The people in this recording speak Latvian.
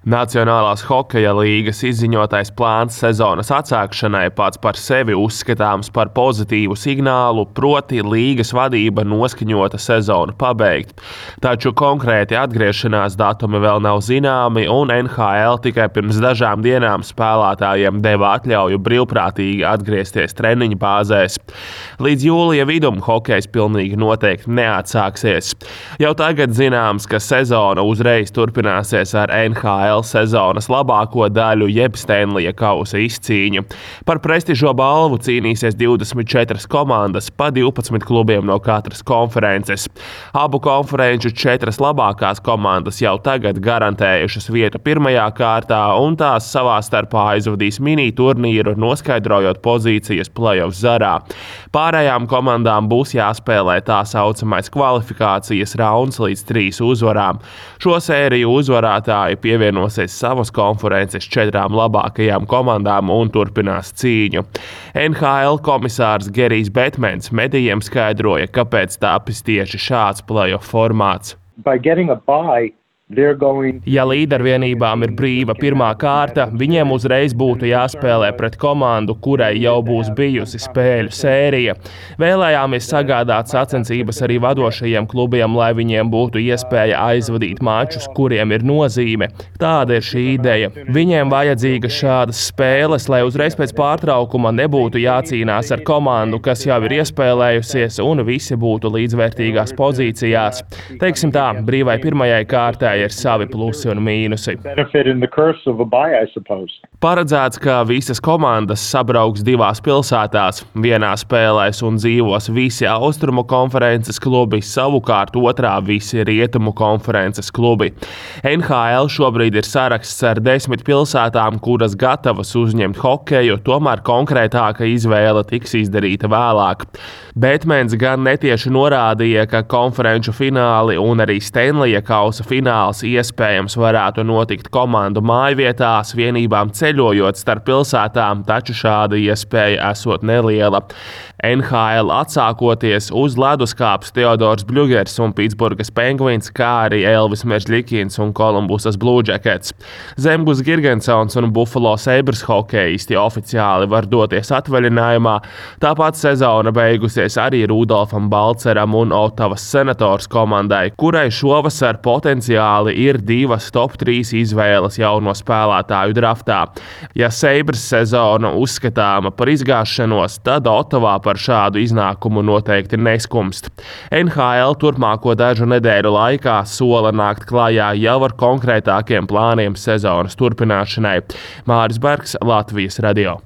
Nacionālās hokeja līgas izziņotais plāns sezonas atsākšanai pats par sevi uzskatāms par pozitīvu signālu, proti līgas vadība noskaņota sezonu pabeigt. Taču konkrēti atgriešanās datumi vēl nav zināmi, un NHL tikai pirms dažām dienām spēlētājiem deva atļauju brīvprātīgi atgriezties treniņu bāzēs. Līdz jūlija vidum hokejs pilnīgi noteikti neatsāksies. Jau tagad zināms, ka sezona uzreiz turpināsies ar NHL sezonas labāko daļu jeb Stanleya kausa izcīņu. Par prestižo balvu cīnīsies 24 komandas pa 12 klubiem no katras konferences. Abu konferenču 4 labākās komandas jau tagad garantējušas vietu pirmajā kārtā, un tās savā starpā aizvadīs mini turnīru, noskaidrojot pozīcijas play-off zarā. Pārējām komandām būs jāspēlē tā saucamais kvalifikācijas rauns līdz 3 uzvarām. Šo sēriju uzvarētāji pievienosies savas konferences 4 labākajām komandām un turpinās cīņu. NHL komisārs Gerijs Betmens medijiem skaidroja, kāpēc tapis tieši šāds play-off formāts. Ja līdervienībām ir brīva pirmā kārta, viņiem uzreiz būtu jāspēlē pret komandu, kurai jau būs bijusi spēļu sērija. Vēlējāmies sagādāt sacensības arī vadošajiem klubiem, lai viņiem būtu iespēja aizvadīt mačus, kuriem ir nozīme. Tāda ir šī ideja. Viņiem vajadzīga šādas spēles, lai uzreiz pēc pārtraukuma nebūtu jācīnās ar komandu, kas jau ir iespēlējusies, un visi būtu līdzvērtīgās pozīcijās. Teiksim tā, brīvai pirmajai kārtai ir savi plusi un mīnusi. Paredzēts, ka visas komandas sabrauks 2 pilsētās. Vienā spēlēs un dzīvos visi austrumu konferences klubi, savukārt otrā visi rietumu konferences klubi. NHL šobrīd ir saraksts ar 10 pilsētām, kuras gatavas uzņemt hokeju, tomēr konkrētāka izvēle tiks izdarīta vēlāk. Betmens gan netieši norādīja, ka konferenču fināli un arī Stanleya kausa fināls iespējams varētu notikt komandu mājvietās, vienībām ceļojot starp pilsētām, taču šāda iespēja esot neliela. NHL atsākoties uz leduskāpes Teodors Bļugers un Pitsburgas Penguins, kā arī Elvis Mežļikins un Kolumbusas Blue Jackets. Zemgus Girgensons un Buffalo Sabres hokejisti oficiāli var doties atvaļinājumā, tāpat sezona beigusies arī Rudolfam Balceram un Ottavas Senators komandai, kurai šovasar potenciāli ir 2 top 3 izvēles jauno spēlētāju draftā. Ja Sabres sezona uzskatāma par izgāšanos, tad Ottavā par šādu iznākumu noteikti neskumst. NHL turpmāko dažu nedēļu laikā sola nākt klajā jau ar konkrētākiem plāniem sezonas turpināšanai. Māris Bergs, Latvijas radio.